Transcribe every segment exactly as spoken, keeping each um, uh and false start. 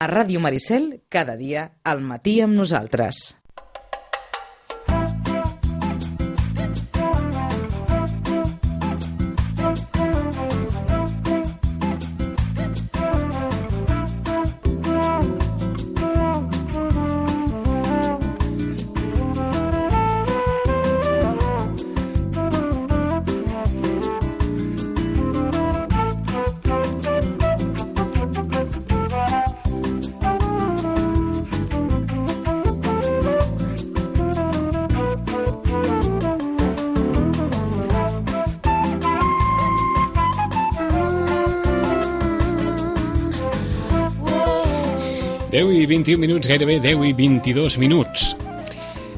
A Ràdio Maricel, cada dia, al matí amb nosaltres. deu i vint-i-un minuts, gairebé deu i vint-i-dos minuts.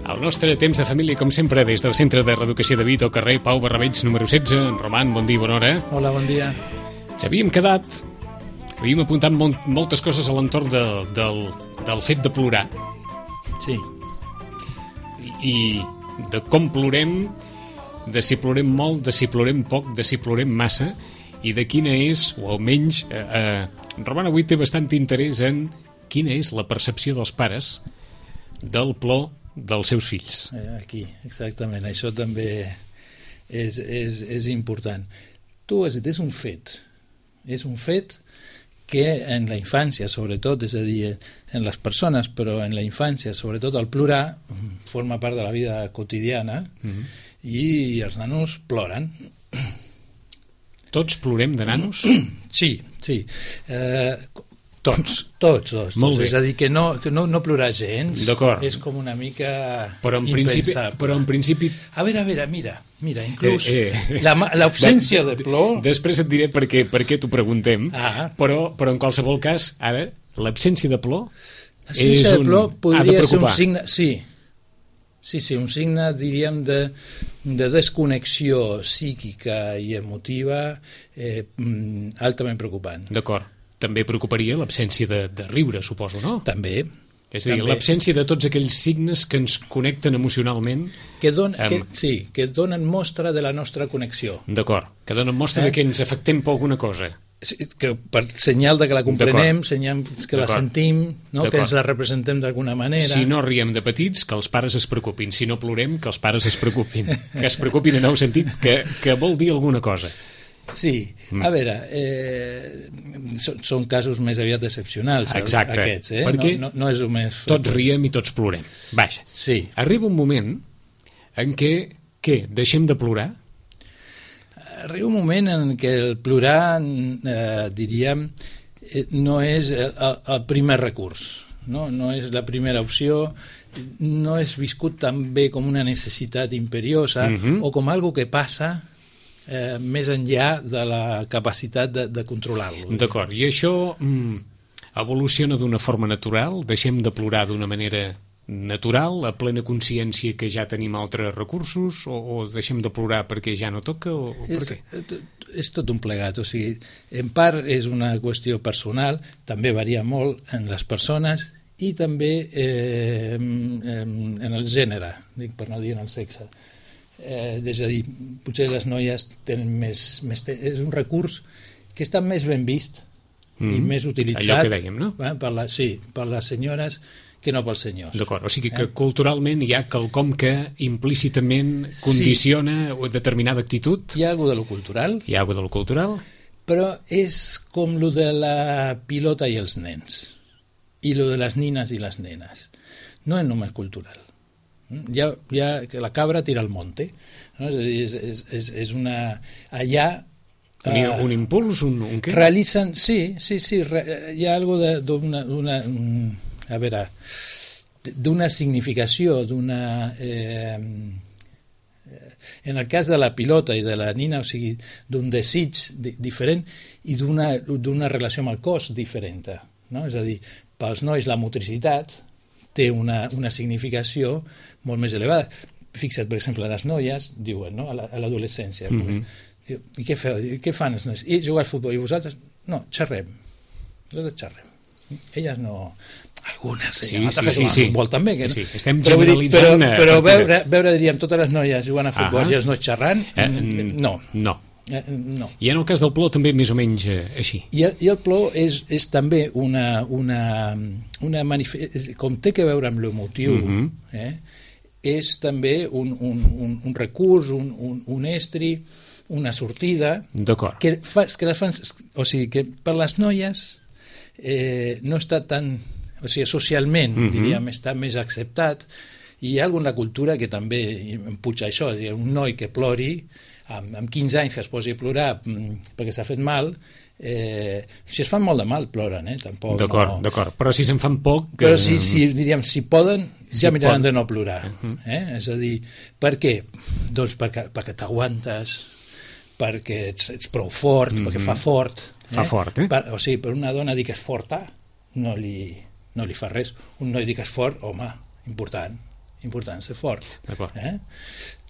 El nostre temps de família, com sempre, des del Centre de Reeducació de Vito, carrer Pau Barrabeig, número setze. Roman, bon dia, bona hora. Hola, bon dia. Ens havíem quedat, havíem apuntat molt, moltes coses a l'entorn de, del, del fet de plorar. Sí. I, I de com plorem, de si plorem molt, de si plorem poc, de si plorem massa, i de quina és, o almenys, eh, eh, Roman avui té bastant interès en quina és la percepció dels pares del plor dels seus fills. Aquí, exactament. Això també és, és, és important. Tu has dit, és un fet. És un fet que en la infància, sobretot, és a dir, en les persones, però en la infància, sobretot el plorar, forma part de la vida quotidiana, mm-hmm. i els nanos ploren. Tots plorem de nanos? Sí, sí. Eh, Tots, tots, tots. Molt bé. És a dir, que no, que no, no plorar gens. D'acord. És com una mica però en principi, però en principi... A veure, a veure, mira, mira, inclús eh, eh. l'absència de plor... Després et diré per què, per què t'ho preguntem, ah. però, però en qualsevol cas, ara, l'absència de plor és un... de plor podria ha de ser un preocupar. signe... Sí, sí, sí, un signe, diríem, de, de desconnexió psíquica i emotiva eh, altament preocupant. D'acord. També preocuparia l'absència de, de riure, suposo, no? També. És a dir, l'absència de tots aquells signes que ens connecten emocionalment... Que don, amb... que, sí, que donen mostra de la nostra connexió. D'acord, que donen mostra eh? de que ens afectem per alguna cosa. Sí, que per senyal de que la comprenem, senyal que la sentim, no? Que ens la representem d'alguna manera. Si no riem de petits, que els pares es preocupin. Si no plorem, que els pares es preocupin. Que es preocupin en el sentit que, que vol dir alguna cosa. Sí, a veure, eh, són, són casos més aviat excepcionals. Exacte, aquests, eh? perquè no, no, no és el més... tots riem i tots plorem. Vaja, sí. Arriba un moment en què, què, deixem de plorar? Arriba un moment en què el plorar, eh, diríem, eh, no és el, el primer recurs, no? No és la primera opció, no és viscut també com una necessitat imperiosa uh-huh. o com algo que passa... Eh, més enllà de la capacitat de, de controlar-lo. D'acord, i això mm, evoluciona d'una forma natural? Deixem de plorar d'una manera natural, a plena consciència que ja tenim altres recursos, o, o deixem de plorar perquè ja no toca? O, o per és, què? És tot un plegat, o sigui, en part és una qüestió personal, també varia molt en les persones i també eh, en, en el gènere, dic, per no dir en el sexe. Eh, és a dir, potser les noies tenen més, més te... és un recurs que està més ben vist mm. i més utilitzat. Allò que dèiem, no? Eh, per la, sí, per les senyores que no pels senyors. D'acord, o sigui que eh? culturalment hi ha quelcom que implícitament condiciona sí. determinada actitud. Hi ha alguna de lo cultural. Hi ha alguna de lo cultural. Però és com lo de la pilota i els nens, i lo de les nines i les nenes. No és només cultural. Ja, ja que la cabra tira al monte, no? És, és, és, és, és una... Allà... Un, uh, un impuls, un, un què? Realitzen... Sí, sí, sí, re, hi ha algo d'una... A veure, d'una significació, d'una... Eh, en el cas de la pilota i de la nina, o sigui, d'un desig di, diferent i d'una d'una relació amb el cos diferent, no? És a dir, pels nois la motricitat té una, una significació molt més elevada. Fixa't, per exemple, les noies diuen, no? A l'adolescència, mm-hmm. i què, feu? Què fan els nois? I jugar a futbol, i vosaltres? No, xerrem. Nosaltres xerrem. Elles no... Algunes, sí, eh? sí, sí, sí. Futbol també. Que... Sí, sí. Estem però, generalitzant... Però, però veure, veure, diríem, totes les noies jugant a futbol uh-huh. i els nois xerrant, eh, no. No. Eh, no. I en el cas del plor també més o menys eh, així. I el, i el plor és, és també una, una, una manifest... com té que veure amb l'emotiu, mm-hmm. eh? és també un, un, un, un recurs, un, un, un estri, una sortida que, fa, que les fan, o sigui, que per les noies eh, no està tan, o sigui, socialment, mm-hmm. diríem, està més acceptat, i hi ha alguna cultura que també em puja això, és a dir, un noi que plori amb, amb quinze anys que es posi a plorar perquè s'ha fet mal, eh, si es fan molt de mal ploren, eh? Tampoc d'acord, no... d'acord, però si se'n fan poc que... però si, si, diríem, si poden ja si miraran pot... de no plorar, uh-huh. eh? És a dir, per què? Doncs perquè, perquè t'aguantes, perquè ets, ets prou fort, uh-huh. perquè fa fort, eh? Fa fort, eh? Per, o sigui, per una dona dir que és forta no li, no li fa res, un noi dir que és fort, home, important important ser fort, eh?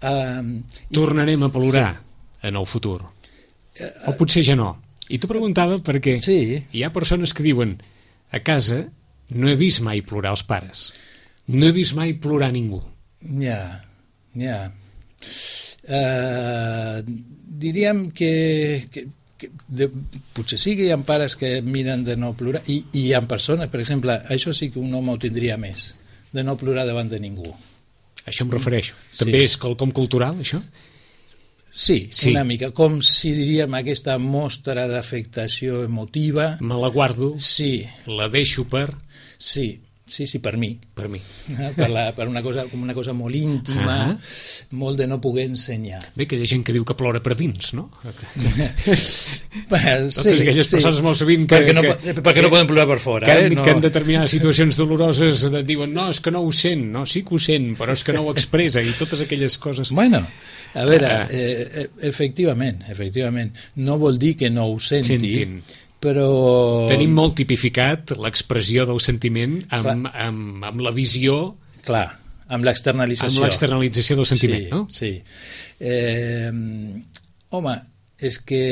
Um, tornarem a plorar sí. en el futur, o potser ja no. I t'ho preguntava perquè sí. hi ha persones que diuen a casa no he vist mai plorar els pares, no he vist mai plorar ningú. Ja, ja. Uh, diríem que, que, que de, potser sí que hi ha pares que miren de no plorar i, i hi ha persones, per exemple, això sí que un home ho tindria més, de no plorar davant de ningú. Això em refereixo. També sí. és quelcom cultural, això? Sí, sí, una mica, com si diríem aquesta mostra d'afectació emotiva. Me la guardo, sí. la deixo per... Sí, sí, sí, per mi. Per mi. Per, la, per una cosa, com una cosa molt íntima, uh -huh. molt de no poder ensenyar. Bé, que hi ha gent que diu que plora per dins, no? sí, Totes aquelles sí. persones molt sovint que... Perquè no, que, perquè que, no poden plorar per fora. Que, eh? no. que en determinades situacions doloroses diuen no, és que no ho sent, no, sí que ho sent, però és que no ho expressa, i totes aquelles coses... Bueno... A veure, eh, efectivament, efectivament, no vol dir que no ho senti, Sentin. Però... Tenim molt tipificat l'expressió del sentiment amb, amb, amb la visió... Clar, amb l'externalització. Amb l'externalització del sentiment, sí, no? Sí. Eh, home, és que...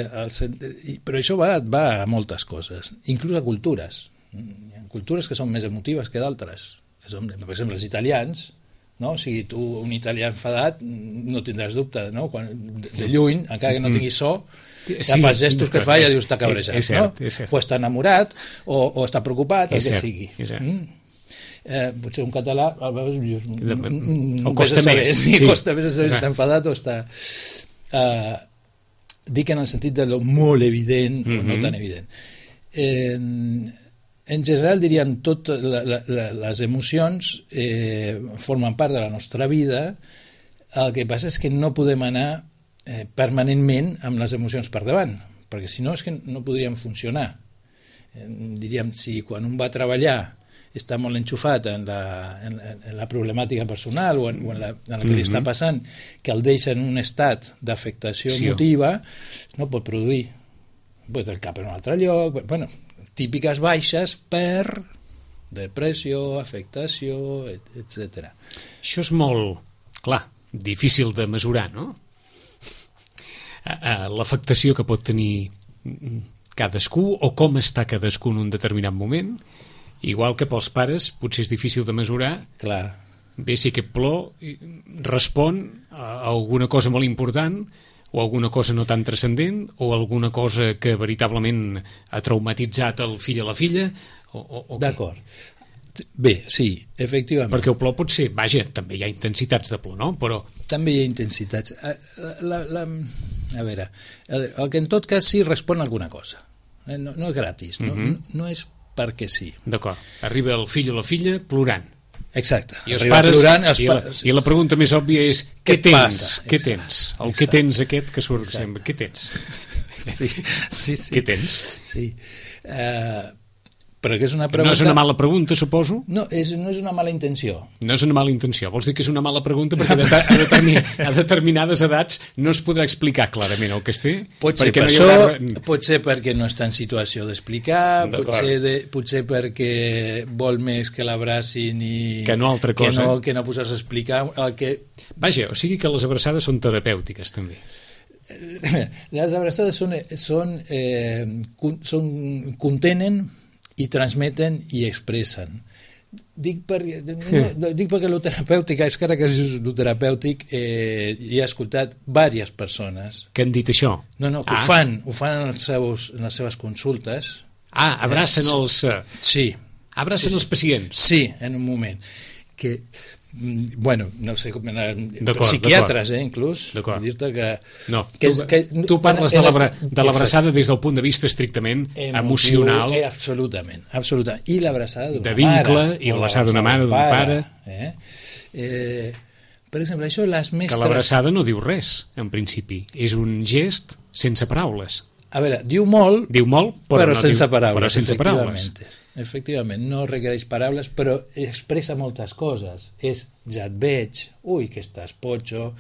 El, però això va, va a moltes coses, inclús a cultures. Hi ha cultures que són més emotives que d'altres. Per exemple, els italians... No? O sigui, tu, un italià enfadat, no tindràs dubte, no? Quan, de, de lluny, encara que no tingui so, ja sí, pels gestos que fa ja dius està cabrejat, és cert, no? És cert. O està enamorat, o, o està preocupat, el és que cert, sigui. Mm? Eh, potser un català, a vegades, o costa més. Sí, costa més saber si està enfadat o està... Eh, dic en el sentit de lo molt evident mm-hmm. o no tan evident. Eh, En general, diríem, totes les emocions eh, formen part de la nostra vida. El que passa és que no podem anar eh, permanentment amb les emocions per davant, perquè si no és que no podríem funcionar. Eh, diríem, si quan un va a treballar està molt enxufat en la, en, en la problemàtica personal o en, o en, la, en la que li està passant, que el deixa en un estat d'afectació sí, emotiva, no pot produir. Pot el cap en un altre lloc... Bueno, típiques baixes per depressió, afectació, etcètera. Això és molt, clar, difícil de mesurar, no? L'afectació que pot tenir cadascú o com està cadascú en un determinat moment, igual que pels pares potser és difícil de mesurar. Clar. Bé, si aquest plor respon a alguna cosa molt important o alguna cosa no tan transcendent, o alguna cosa que veritablement ha traumatitzat el fill o la filla, o, o, o D'acord. Bé, sí, efectivament. Perquè el plor pot ser, vaja, també hi ha intensitats de plor, no? Però... També hi ha intensitats. La, la, a veure, el que en tot cas sí respon a alguna cosa. No, no és gratis, no, uh-huh. no, no és perquè sí. D'acord. Arriba el fill o la filla plorant. Exacte. I els pares, plorant, els i, la, i la pregunta més òbvia és què, què tens? Passa? Què tens? El què tens aquest que surt Exacte. sempre. Què tens? Sí, sí, sí. Què tens? Sí. Uh, però que és una pregunta... No és una mala pregunta, suposo? No, és, no és una mala intenció. No és una mala intenció. Vols dir que és una mala pregunta perquè a, determin, a determinades edats no es podrà explicar clarament el que es té? Pot ser, per no això, haurà... pot ser perquè no està en situació d'explicar, potser, de, potser perquè vol més que l'abracin i... Que no altra cosa. Que no, que no posar-se a explicar el que... Vaja, o sigui que les abraçades són terapèutiques, també. Les abraçades són, són, eh, són, contenen i transmeten i expressen. Dic, per, no, dic perquè el terapèutic, és que ara que és el terapèutic, eh, hi he escoltat diverses persones que han dit això. No, no, que ah. ho fan, ho fan en, els seus, en les seves consultes. Ah, abracen eh, els... Sí. Abracen sí, els pacients. Sí, en un moment. Que, bueno, no sé com... Psiquiatres, eh, inclús. D'acord. Dir-te que... No, que, tu, que, tu parles de l'abraçada des del punt de vista estrictament emocional. Eh, absolutament, absolutament. I l'abraçada d'una mare. De vincle, i l'abraçada d'una mare, d'un pare. Eh? Eh, per exemple, això les mestres... Que l'abraçada no diu res, en principi. És un gest sense paraules. A veure, diu molt, diu molt però, però no sense diu, paraules. Però sense paraules. Efectivament, no requereix paraules, però expressa moltes coses. És, ja et veig, ui, que estàs potxo,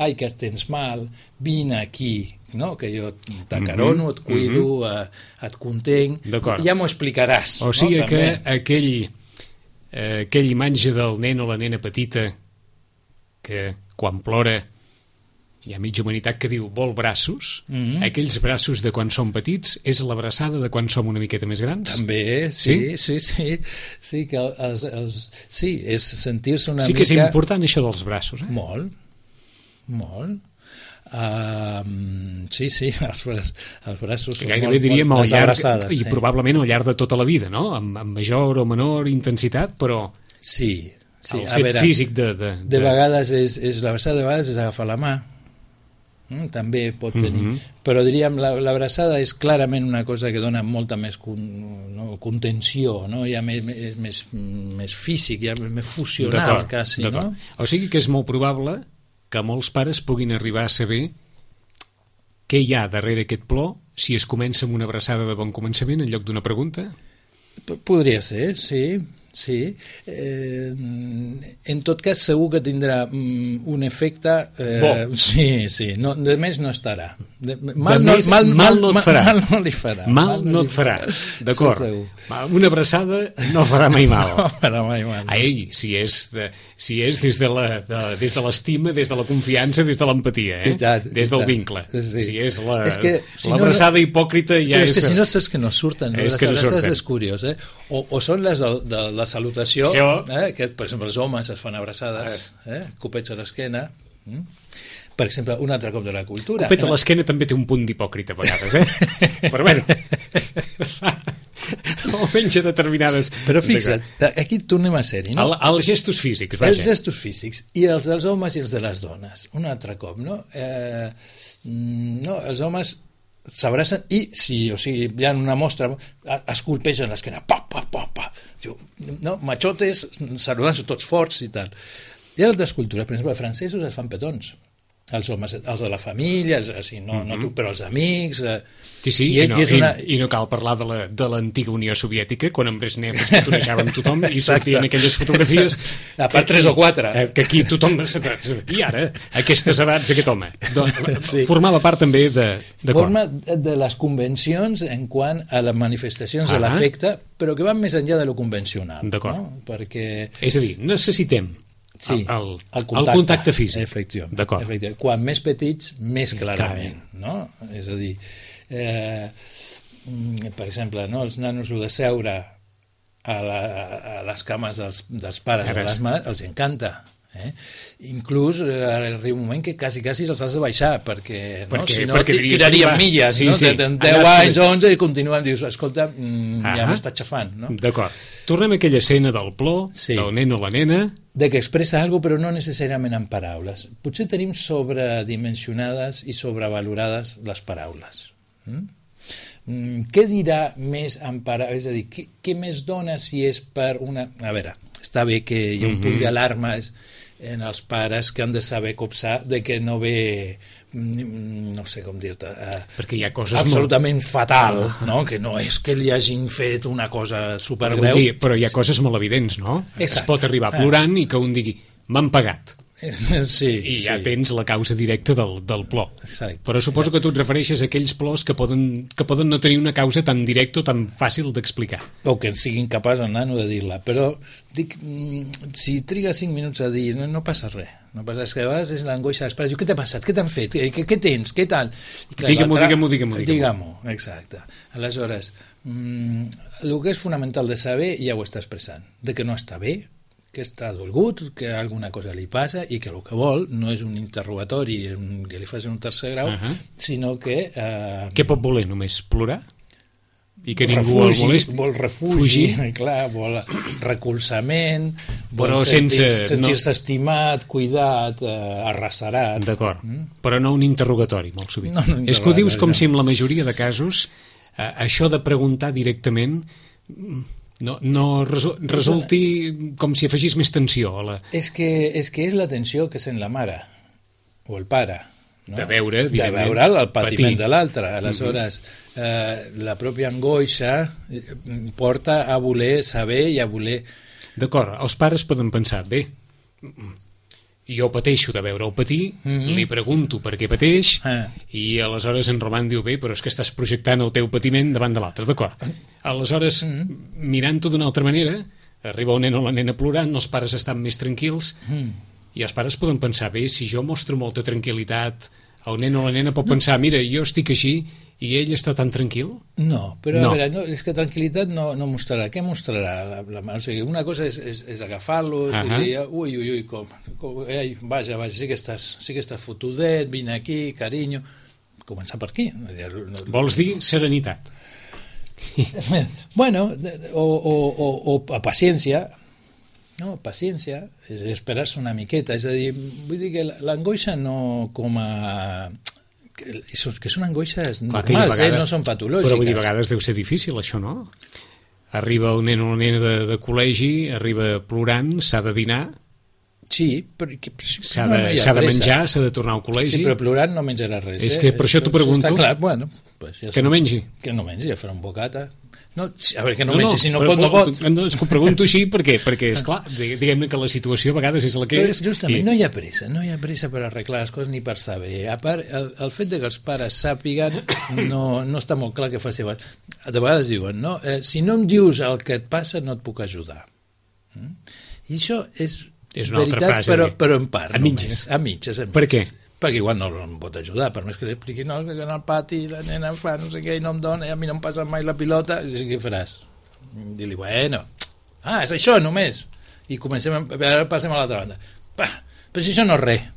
ai, que tens mal, vine aquí, no? Que jo t'acarono, et cuido, mm-hmm. et contenc, ja m'ho explicaràs. O sigui no? que aquell, eh, aquell imatge del nen o la nena petita que quan plora hi ha mitja humanitat que diu vol braços, mm-hmm. aquells braços de quan som petits és l'abraçada de quan som una miqueta més grans? També, sí, sí, sí, sí, sí que els, els, sí, és sentir-se una sí mica... Sí que és important això dels braços, eh? Molt, molt. Uh, sí, sí, els, bra els braços són gairebé molt, diríem molt, al llarg, abraçades. I sí. Probablement al llarg de tota la vida, no? Amb, amb major o menor intensitat, però... Sí, sí. El a fet veure, físic de... De, de... de vegades és, és l'abraçada, de vegades és agafar la mà, Mm, també pot tenir, mm-hmm. però diríem l'abraçada és clarament una cosa que dona molta més con, no, contenció, no? Ja més, més, més, més físic, ja més fusional quasi, no? O sigui que és molt probable que molts pares puguin arribar a saber què hi ha darrere aquest plor si es comença amb una abraçada de bon començament en lloc d'una pregunta? P Podria ser, sí. Sí, eh, en tot cas segur que tindrà mm, un efecte eh, bo. Sí, sí, no, de més no estarà de, mal, de no, més, mal, mal no et farà mal, mal no li farà mal, mal no et farà, d'acord, una abraçada no farà mai mal, no farà mai mal. Ai, si és, de, si és des de l'estima, des de la confiança, des de l'empatia, eh? tant, des del vincle, sí. Si és l'abraçada si no, hipòcrita ja és... és que si no saps que no surten, no? És Les que no abraçades és curiós, eh? o, o són les de, de la salutació, eh? Que per exemple els homes es fan abraçades, eh? Copets a l'esquena, mm? Per exemple, un altre cop de la cultura. Copet a l'esquena també té un punt d'hipòcrita a vegades, eh? Però bueno, almenys a determinades... Però fixa't, aquí tornem a ser-hi, no? El, els gestos físics, vaja. Els gestos físics, i els dels homes i els de les dones. Un altre cop, no? Eh, no, els homes s'abracen i, si, o sigui, hi ha una mostra, es colpegen l'esquena, pa, pa, pa, pa. No? Machotes, saludant-se tots forts i tal. Hi ha altres cultures, per exemple, els francesos es fan petons. Els homes, els de la família, els, o no, mm-hmm. no tu, però els amics... Eh, sí, sí, i, i, no, i, una... i, i no cal parlar de l'antiga Unió Soviètica, quan en Brezhnev es petonejava amb tothom i sortien aquelles fotografies... A part tres o quatre. Eh, que aquí tothom... I ara, aquestes edats, aquest home. Doncs, sí. Formava part també de... de Forma de les convencions en quant a les manifestacions ah, de l'afecte, però que van més enllà de lo convencional. D'acord. No? Perquè... És a dir, necessitem... Sí, el, el, el, contacte, el contacte físic. Efectivament, efectivament. Quan més petits, més clarament. No? És a dir, eh, per exemple, no? Els nanos de seure a, la, a les cames dels, dels pares o de les mares els encanta. Eh? Inclús eh, arriba un moment que quasi, quasi els has de baixar perquè, no? perquè, si no perquè tirarien milles, sí, no? Sí. De deu anys, onze i continuen, dius, escolta, mm, ja m'està xafant, no? D'acord, tornem a aquella escena del plor, sí. Del nen o la nena, de que expressa alguna cosa però no necessàriament en paraules. Potser tenim sobredimensionades i sobrevalorades les paraules. Mm? Mm, què dirà més en paraules? És a dir, què, què més dona si és per una... A veure, està bé que hi ha un mm-hmm. punt d'alarma en els pares que han de saber copsar de que no ve, no sé com dir-te, eh, perquè hi ha coses absolutament molt... fatal, no? Que no és que li hagin fet una cosa supergreu. Dir, però hi ha coses molt evidents, no? Exacte. Es pot arribar plorant i que un digui, m'han pagat. Sí, i ja sí. Tens la causa directa del, del plor. Exacte. Però suposo que tu et refereixes a aquells plors que poden, que poden no tenir una causa tan directa o tan fàcil d'explicar. O que siguin capaç el nano de dir-la. Però dic, si triga cinc minuts a dir, no, no passa res. No passa, és que a vegades és l'angoixa dels pares. Diu, què t'ha passat? Què t'han fet? Què, què tens? Què tal? Digue-m'ho, digue-m'ho, digue-m'ho. Digue-m'ho, exacte. Aleshores, mmm, el que és fonamental de saber ja ho està expressant. De que no està bé, que està dolgut, que alguna cosa li passa i que el que vol no és un interrogatori que li facin un tercer grau, uh -huh. sinó que... Eh, Què pot voler només? Plorar? I que ningú refugi, el molesti? Vol refugi, Fugir. clar, vol recolzament, vol però sentir, sense, sentir-se no... estimat, cuidat, eh, arrasarat. D'acord, mm? però no un interrogatori, molt sovint. No, no, és que ho dius com no. si en la majoria de casos eh, això de preguntar directament no, no resol, resulti com si afegís més tensió a la... És que, és que és la tensió que sent la mare o el pare, no? De veure, de veure el patiment patir. de l'altre. Aleshores, uh -huh. eh, la pròpia angoixa porta a voler saber i a voler... D'acord, els pares poden pensar, bé, jo pateixo de veure'l patir, uh -huh. li pregunto per què pateix, ah. i aleshores en Roman diu, bé, però és que estàs projectant el teu patiment davant de l'altre, d'acord. Aleshores, uh -huh. mirant-ho d'una altra manera, arriba un nen o la nena plorant, els pares estan més tranquils, uh -huh. i els pares poden pensar, bé, si jo mostro molta tranquil·litat, el nen o la nena pot no. pensar, mira, jo estic així i ell està tan tranquil? No, però no. a veure, no, és que tranquil·litat no, no mostrarà. Què mostrarà? La, la, o sigui, una cosa és, és, és agafar-lo uh -huh. i dir, ui, ui, ui, com, com ei, vaja, vaja, sí que estàs, sí que estàs fotudet, vine aquí, carinyo. Començar per aquí. Vols dir serenitat? Bueno, o, o, o, o a paciència, no, paciència, és esperar-se una miqueta, és a dir, vull dir que l'angoixa no com a... que, que són angoixes normals, vegades, eh? No són patològiques. Però vull dir, a vegades deu ser difícil, això, no? Arriba el nen o la nena de, de col·legi, arriba plorant, s'ha de dinar... Sí, perquè s'ha de, no, no de menjar, s'ha de tornar al col·legi. Sí, però plorant no menjarà res. És eh? que per això, això t'ho pregunto. Està clar, bueno, pues ja que no mengi. Que no mengi, ja farà un bocata. No, a veure, que no, no mengi, no, si no però, pot, no pot. No, és que ho pregunto així perquè, perquè esclar, diguem-ne que la situació a vegades és la que però és. Justament, i... no hi ha pressa, no hi ha pressa per arreglar les coses ni per saber. A part, el, el fet de que els pares sàpiguen no, no està molt clar que faci. De vegades diuen, no? Eh, si no em dius el que et passa, no et puc ajudar. Mm? I això és... És una veritat, altra frase. Però, però en part. A mitges. A mitges. A mitges. Per què? Perquè igual no em pot ajudar, per més que li expliqui, no, que en el pati la nena fa no sé què i no em dona, i a mi no em passa mai la pilota, i què faràs? Dir-li, bueno, ah, és això només. I comencem, ara passem a l'altra banda. Bah, però si això no és res.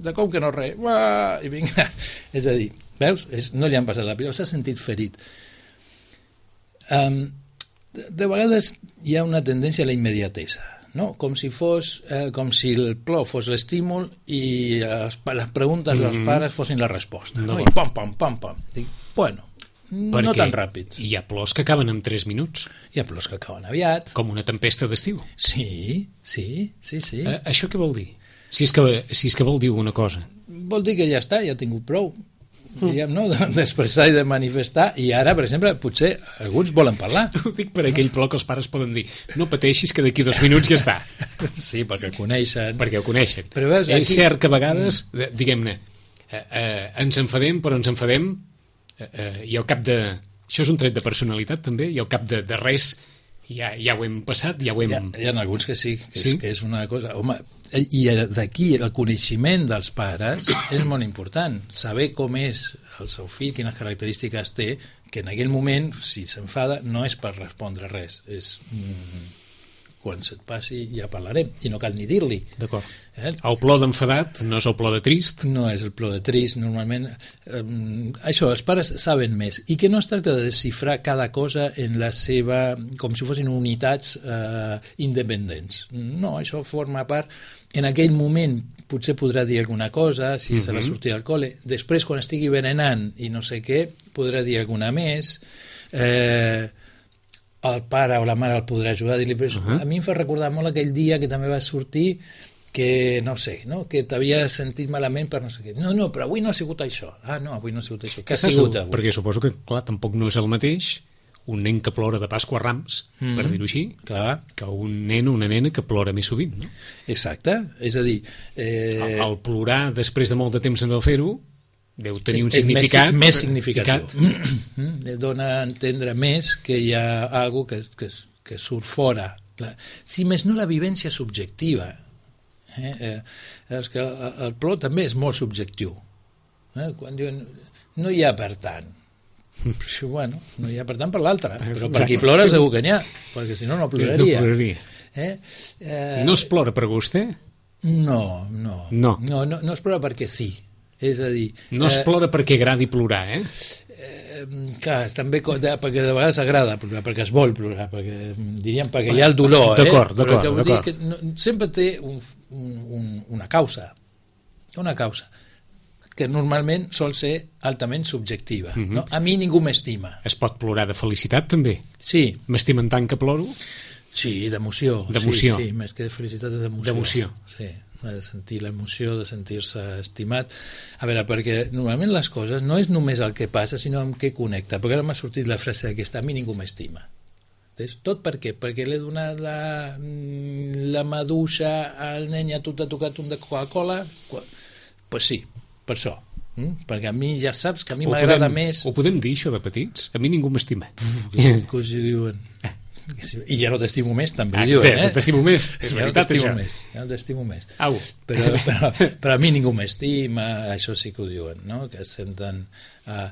De com que no és res? Uah, i vinga. És a dir, veus? És, no li han passat la pilota, s'ha sentit ferit. Um, de, de vegades hi ha una tendència a la immediatesa, no? Com si fos, eh, com si el plor fos l'estímul i les, les preguntes dels mm-hmm. pares fossin la resposta. No. No? I pam, pam, pam, pam. Dic, bueno, perquè no tan ràpid. Hi ha plors que acaben en tres minuts. Hi ha plors que acaben aviat. Com una tempesta d'estiu. Sí, sí, sí, sí. Eh, això què vol dir? Si és, que, si és que vol dir una cosa. Vol dir que ja està, ja ha tingut prou. Diguem, no? D'expressar i de manifestar, i ara, per exemple, potser alguns volen parlar. Ho dic per aquell plor que els pares poden dir, no pateixis que d'aquí dos minuts ja està. Sí, perquè el coneixen. Perquè ho coneixen. Però veus, aquí... És cert que a vegades, diguem-ne, eh, eh, ens enfadem, però ens enfadem eh, eh, i al cap de... Això és un tret de personalitat, també, i al cap de, de res ja, ja ho hem passat, ja ho hem... Hi ha, hi ha alguns que sí, que, sí? És, que és una cosa... Home, i d'aquí el coneixement dels pares és molt important, saber com és el seu fill, quines característiques té, que en aquell moment, si s'enfada, no és per respondre res, és mm, quan se't passi ja parlarem, i no cal ni dir-li. D'acord. Eh? El plor d'enfadat no és el plor de trist? No és el plor de trist, normalment. Eh, això, els pares saben més, i que no es tracta de desxifrar cada cosa en la seva, com si fossin unitats eh, independents. No, això forma part. En aquell moment potser podrà dir alguna cosa, si mm-hmm. se va sortir al col·le. Després, quan estigui berenant i no sé què, podrà dir alguna més. Eh, el pare o la mare el podrà ajudar a dir-li, però uh-huh. a mi em fa recordar molt aquell dia que també va sortir que, no sé, no? Que t'havia sentit malament per no sé què. No, no, però avui no ha sigut això. Ah, no, avui no ha sigut això. Què ha sigut avui? Perquè suposo que, clar, tampoc no és el mateix un nen que plora de Pasqua a Rams, mm-hmm. per dir-ho així, clar. Que un nen o una nena que plora més sovint, no? Exacte, és a dir... Eh... El, el plorar després de molt de temps en el fer-ho deu tenir un és, significat... És més, més significatiu. Dona a entendre més que hi ha alguna que, que, que surt fora. Si més no, la vivència subjectiva. Eh? Eh, és que el, el plor també és molt subjectiu. Eh? Quan diuen no hi ha per tant, però, bueno, no hi ha per tant per l'altre, però per qui plora segur que n'hi ha, perquè si no no ploraria. No ploraria. Eh? Eh, No es plora per vostè? no, no, No. no, no, no es plora perquè sí. És a dir... No es eh, plora perquè agradi plorar, eh? Eh, clar, també co- de, perquè de vegades agrada plorar, perquè es vol plorar, perquè diríem perquè hi ha el dolor, eh? D'acord, Però d'acord, que vull dir d'acord. que no, sempre té un, un, un, una causa, una causa que normalment sol ser altament subjectiva. Mhm. No? A mi ningú m'estima. Es pot plorar de felicitat, també? Sí, M'estimen tant que ploro? sí, d'emoció. D'emoció. Sí, sí, més que de felicitat és d'emoció. D'emoció. Sí, de sentir l'emoció, de sentir-se estimat. A veure, perquè normalment les coses no és només el que passa, sinó amb què connecta. Perquè ara m'ha sortit la frase aquesta, a mi ningú m'estima. És tot per què? Perquè l'he donat la, la maduixa al nen i a tu t'ha tocat un de Coca-Cola? Doncs pues sí, per això. Mm? Perquè a mi ja saps que a mi Ho m'agrada podem- més... Ho podem dir, això de petits? A mi ningú m'estima. Que, que us hi diuen... I ja no t'estimo més, també Ah, ho diuen, bé, eh? t'estimo més, és Ja no veritat, t'estimo això. més, ja no t'estimo més. Au. Però, però, però a mi ningú m'estima, això sí que ho diuen, no? Que es senten... Uh,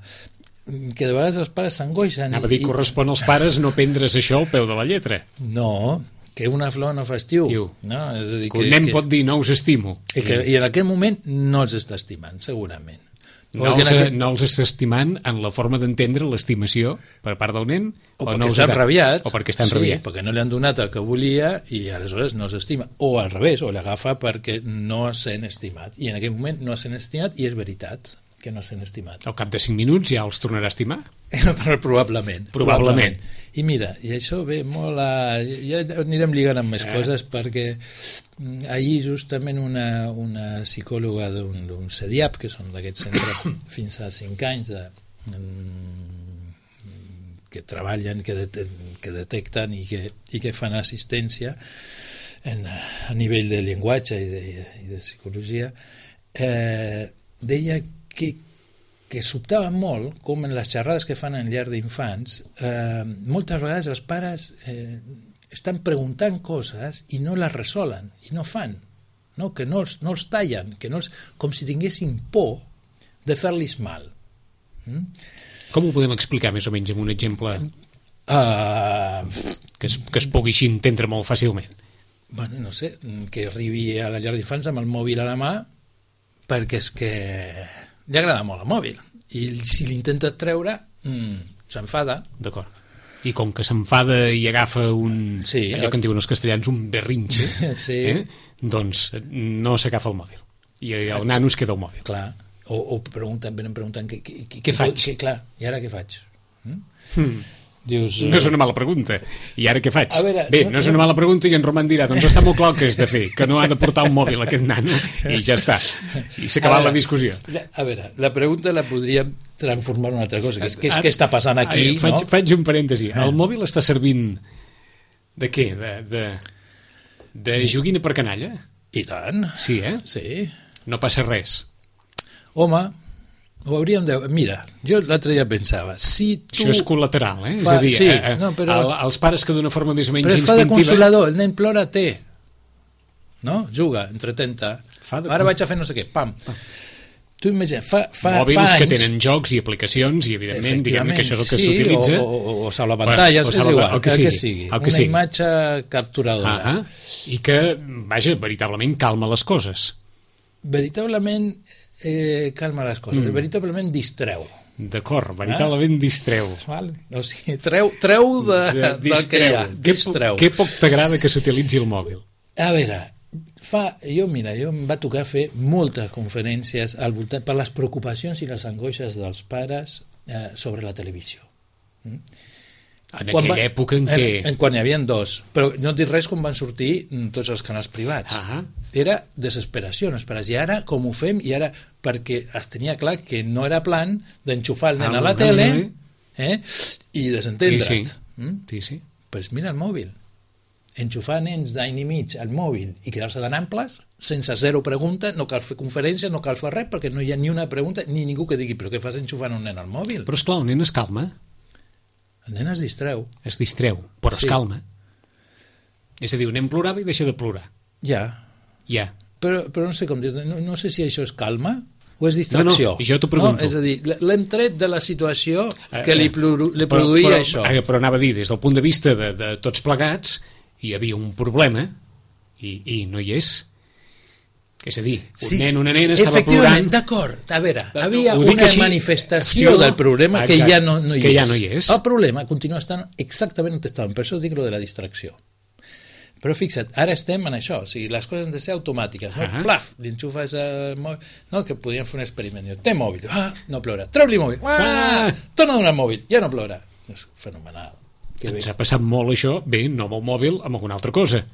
que de vegades els pares s'angoixen. Anava a dir, i- correspon als pares no prendre's això al peu de la lletra. No, que una flor no fa estiu. Estiu. No? És a dir, Que un nen pot dir, no us estimo. I, que, I en aquell moment no els està estimant, segurament. No O que els, en aquell- no els està estimant en la forma d'entendre l'estimació per part del nen, O o, perquè no els està està- enrabiat. o perquè està sí, enrabiat. perquè no li han donat el que volia i aleshores no s'estima. O al revés, o l'agafa perquè no es sent estimat. I en aquell moment no es sent estimat i és veritat que no es sent estimat. Al cap de cinc minuts ja els tornarà a estimar. Probablement. Probablement. I mira, i això ve molt a... Ja anirem lligant amb més Eh. coses perquè mm, ahir justament una, una psicòloga d'un d'un C D I A P, que són d'aquests centres fins a cinc anys de, mm, que treballen, que, det que detecten i que, i que fan assistència en, a nivell de llenguatge i de, i de psicologia, eh, deia que que sobtava molt com en les xerrades que fan en llar d'infants eh, moltes vegades els pares eh, estan preguntant coses i no les resolen i no fan, no? Que no els, no els tallen, que no els, com si tinguessin por de fer-los mal. Mm? Com ho podem explicar més o menys amb un exemple Uh, que es, que es pugui així entendre molt fàcilment? bueno, no sé, que arribi a la llar d'infants amb el mòbil a la mà perquè és que li agrada molt el mòbil i si l'intentes treure mm, s'enfada. D'acord. I com que s'enfada i agafa un... Sí, allò que en diuen els castellans, un berrinxe, Sí. eh? doncs no s'agafa el mòbil. I el nano es queda el mòbil. Clar, o, o pregunten, venen preguntant què, què, què, Què faig? Què, clar, i ara què faig? Mm? Hmm. Dius, No és una mala pregunta. I ara què faig? A veure, Bé, no- no és no- una mala pregunta i en Roman dirà, doncs està molt clar el que has de fer, que no ha de portar un mòbil aquest nano i ja està. I s'ha acabat A la veure, discussió. la- A veure, la pregunta la podríem transformar en una altra cosa, que és què, és, Ara- què està passant aquí, Ai, faig, no? faig un parèntesi. Ah. El mòbil està servint de què? De, de, de joguina per canalla? I tant. Sí, eh? Sí. No passa res. Home, ho hauríem de... Mira, jo l'altre dia pensava, si tu... Això és col·lateral, eh? Fa- és a dir, sí, eh, eh, no, però- el, els pares que d'una forma més o menys Però es fa de instintiva... consolador, el nen plora, té. No? Juga, entretenta. Fa de- Ara vaig a fer no sé què, pam. Tu imagina, fa, fa, Mòbils fa anys... que tenen jocs i aplicacions i, evidentment, diguem que això és el que sí, s'utilitza. O, o, o salvapantalles, O és salva- igual, el que el que sigui, sigui. el que Una sigui. imatge capturadora. Ah, ah, I que, vaja, veritablement calma les coses. Veritablement eh, calma les coses, Mm. veritablement distreu. D'acord, veritablement Ah. distreu. Val? O sigui, treu, treu de, De- del que hi ha. Què, po- Distreu. què poc t'agrada que s'utilitzi el mòbil? A veure, fa, jo, mira, jo em va tocar fer moltes conferències al voltant per les preocupacions i les angoixes dels pares eh, sobre la televisió. Mm? En Quan aquella va- època en què... En, en quan hi havia dos. Però no et dic res quan van sortir mm, tots els canals privats. Ah, Era desesperació, no esperes. I ara, com ho fem? I ara, perquè es tenia clar que no era plan d'enxufar el nen Ah, a la ah, tele ah. eh, i desentendre't. Sí, sí. Mm? sí, sí. Pues mira el mòbil. Enxufar nens d'any i mig al mòbil i quedar-se tan amples, sense zero pregunta, no cal fer conferència, no cal fer res, perquè no hi ha ni una pregunta, ni ningú que digui, però què fas enxufant un nen al mòbil? Però, esclar, el nen es calma, El nen es distreu. es distreu, però Sí. es calma. És a dir, un nen plorava i deixa de plorar. Ja. Ja. però, però no sé com dir, no, no sé si això és calma o és distracció. No, no, i jo t'ho pregunto. No? És a dir, l'hem tret de la situació que li, li produïa però, però, això. Però anava a dir, des del punt de vista de, de tots plegats, hi havia un problema i, i no hi és. És a dir, un sí, nen o una nena estava plorant... D'acord, a veure, havia no, una així, manifestació del problema que ja no, no, hi que és. ja no hi és. El problema continua estant exactament on estàvem, per això dic lo de la distracció. Però fixa't, ara estem en això, o sigui, les coses han de ser automàtiques, no? Uh -huh. Plaf, li enxufes el mòbil, no, que podríem fer un experiment, té mòbil, ah, no plora, treu-li mòbil, ah, ah. torna a donar el mòbil, ja no plora. És fenomenal. Que Ens bé. ha passat molt això, bé, no amb el mòbil, amb alguna altra cosa.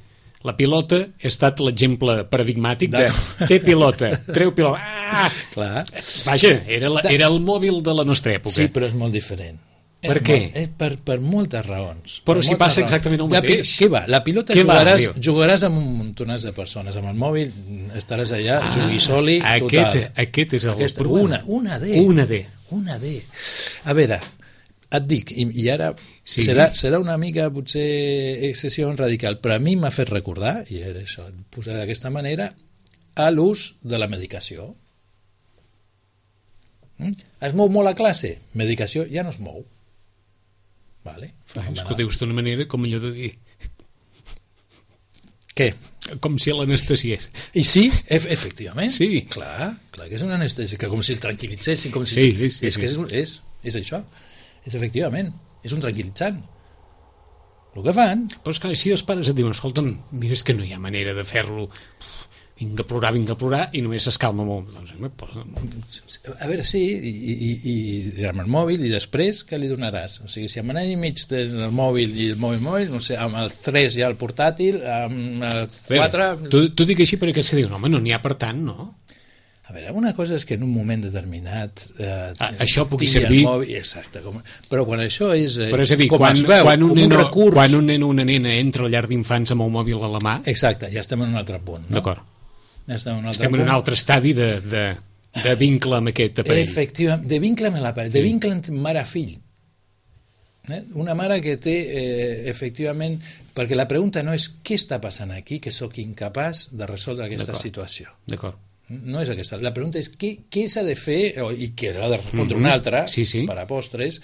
La pilota ha estat l'exemple paradigmàtic de, de té pilota, treu pilota, ah! Clar. Vaja, era, la, era el mòbil de la nostra època. Sí, però és molt diferent. Per és què? Molt, és per, per moltes raons. Però per si moltes passa raons. exactament el La mateix. Què va? La pilota Què jugaràs, va, jugaràs amb un montonàs de persones. Amb el mòbil estaràs allà, ah, jugui soli, aquest, total. Aquest és el Aquesta, problema. Una, una D. Una D. Una D. A veure, et dic, i, i ara sí. serà, serà una mica potser excessió radical, però a mi m'ha fet recordar, i era això, posaré d'aquesta manera, a l'ús de la medicació. Mm? Es mou molt a classe? Medicació ja no es mou. Vale, ah, és que ho dius d'una manera com allò de dir... Què? Com si l'anestesiés. I sí, e efectivament. Sí. Clar, clar que és una anestèsia, que com si el tranquil·litzessin. Com si... Sí, sí, sí. És sí. que és, és, és això. És efectivament. És un tranquil·litzant. El que fan... Però és clar, si els pares et diuen, escolta'm, mira, és que no hi ha manera de fer-lo... vinga a plorar, vinga a plorar, i només s'escalma molt. Doncs, a veure, sí, i, i, i amb el mòbil, i després què li donaràs? O sigui, si amb un any i mig tens el mòbil i el mòbil mòbil, no sé, amb el tres ja el portàtil, amb el quatre... T'ho dic així per aquests que diuen, home, no n'hi ha per tant, no? A veure, una cosa és que en un moment determinat eh, ah, això pugui servir mòbil, exacte, com, però quan això és, eh, però és a dir, com quan, es veu, quan un, com neno, un recurs... quan un nen o una nena entra a llar d'infants amb el mòbil a la mà, exacte, ja estem en un altre punt, no? D'acord, ja estem en un altre estem punt. en un altre estadi de, de, de vincle amb aquest aparell. Efectivament, de vincle amb l'aparell, de vincle entre mare-fill. Eh? Una mare que té, eh, efectivament, perquè la pregunta no és què està passant aquí, que sóc incapaç de resoldre aquesta situació. D'acord. No és aquesta. La pregunta és què, què s'ha de fer, i que l'ha de respondre mm-hmm. una altra, sí, sí. per a postres,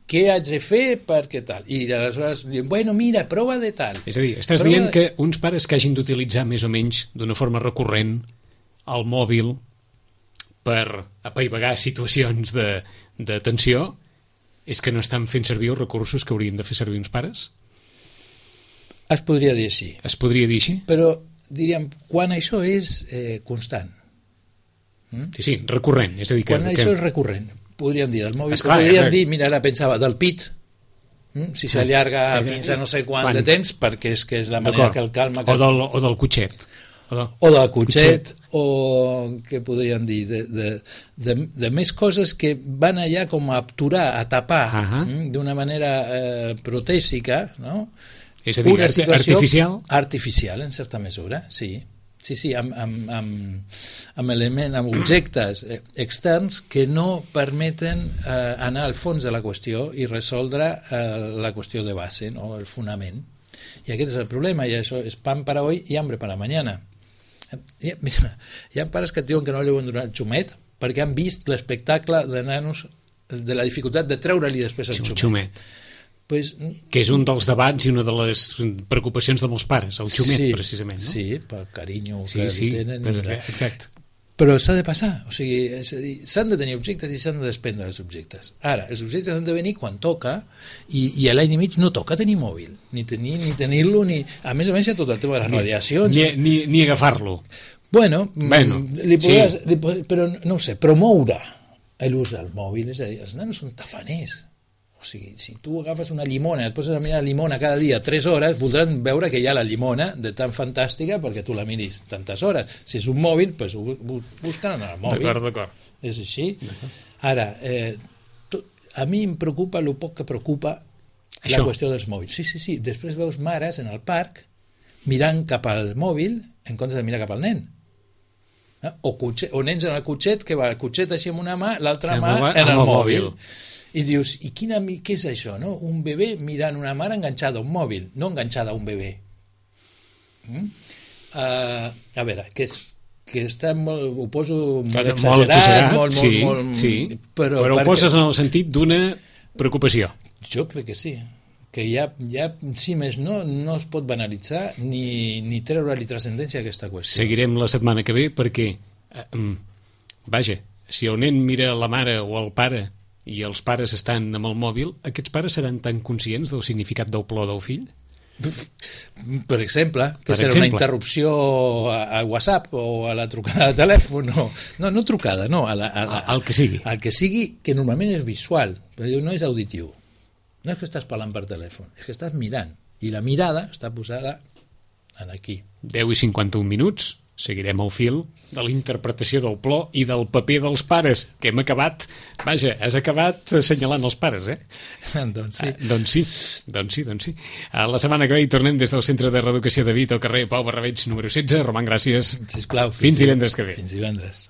què haig de fer perquè tal? I aleshores diuen, bueno, mira, prova de tal. És a dir, estàs prova dient de... que uns pares que hagin d'utilitzar més o menys d'una forma recurrent el mòbil per apaivagar situacions de, de tensió és que no estan fent servir els recursos que haurien de fer servir uns pares? Es podria dir així. Es podria dir així? Però, diríem, quan això és eh, constant. Mm? Sí, sí, recurrent. És a dir, que, quan que... això és recurrent, podríem dir del mòbil, Esclar, podríem eh, dir, mira, ara pensava, del pit, mm? si s'allarga eh, fins a no sé quant quan... de temps, perquè és que és la manera que el calma... Que... O, del, o del cotxet. O, de... o del cotxet, cotxet, o què podríem dir, de, de, de, de més coses que van allà com a aturar, a tapar, uh -huh. mm? d'una manera eh, protèsica, no? És a dir, una situació artificial? Artificial, en certa mesura, sí. Sí, sí, amb, amb, amb, amb elements, amb objectes externs que no permeten eh, anar al fons de la qüestió i resoldre eh, la qüestió de base, no? El fonament. I aquest és el problema, i això és pan para hoy i hambre para mañana. Hi ha, mira, hi ha pares que et diuen que no li volen donar el xumet perquè han vist l'espectacle de nanos de la dificultat de treure-li després el xumet. xumet. Pues, que és un dels debats i una de les preocupacions de molts pares, el xumet, sí, precisament, no? Sí, pel carinyo sí, que sí, tenen. però, la... exacte. Però s'ha de passar, o sigui, és a dir, s'han de tenir objectes i s'han de desprendre els objectes. Ara, els objectes han de venir quan toca, i, i a l'any i mig no toca tenir mòbil, ni tenir ni tenir-lo, ni... A més a més hi ha tot el tema de les ni, radiacions. Ni, ni, ni agafar-lo. Bueno, bueno li podràs, sí. li, però no ho sé, promoure l'ús del mòbil, és a dir, els nanos són tafaners. O sigui, si tu agafes una llimona, et poses a mirar la llimona cada dia tres hores, voldran veure que hi ha la llimona de tan fantàstica perquè tu la miris tantes hores. Si és un mòbil, doncs ho busquen en el mòbil. D'acord, d'acord. És així. Ara, eh, tot, a mi em preocupa el poc que preocupa Això. La qüestió dels mòbils. Sí, sí, sí. Després veus mares en el parc mirant cap al mòbil en comptes de mirar cap al nen. O, cotxet, o nens en el cotxet, que va el cotxet així amb una mà, l'altra mà en el, el mòbil. mòbil. I dius, i quina, què és això, no? Un bebè mirant una mare enganxada a un mòbil, no enganxada a un bebè. Mm? Uh, a veure, que, és, que està molt, ho poso molt Clar, exagerat, molt exagerat, molt, molt, sí, molt, sí. però, però ho perquè, poses en el sentit d'una preocupació. jo crec que sí, que ja, ja si més no, no es pot banalitzar ni, ni treure-li transcendència a aquesta qüestió. Seguirem la setmana que ve perquè, eh, vaja, si el nen mira la mare o el pare i els pares estan amb el mòbil, aquests pares seran tan conscients del significat del plor del fill? Per exemple, que per serà exemple. una interrupció a, a WhatsApp o a la trucada de telèfon, no, no, no trucada, no, a la, a la, El que sigui. el que sigui, que normalment és visual, però no és auditiu. No és que estàs parlant per telèfon, és que estàs mirant, i la mirada està posada en aquí. deu i cinquanta-un minuts, seguirem el fil de la interpretació del plor i del paper dels pares, que hem acabat, vaja, has acabat assenyalant els pares, eh? doncs sí. Ah, doncs sí, doncs sí, doncs sí. A la setmana que ve hi tornem des del Centre de Reeducació de Vit al carrer Pau Barrabeig número setze. Roman, gràcies. Sisplau, Fins divendres que ve. Fins divendres.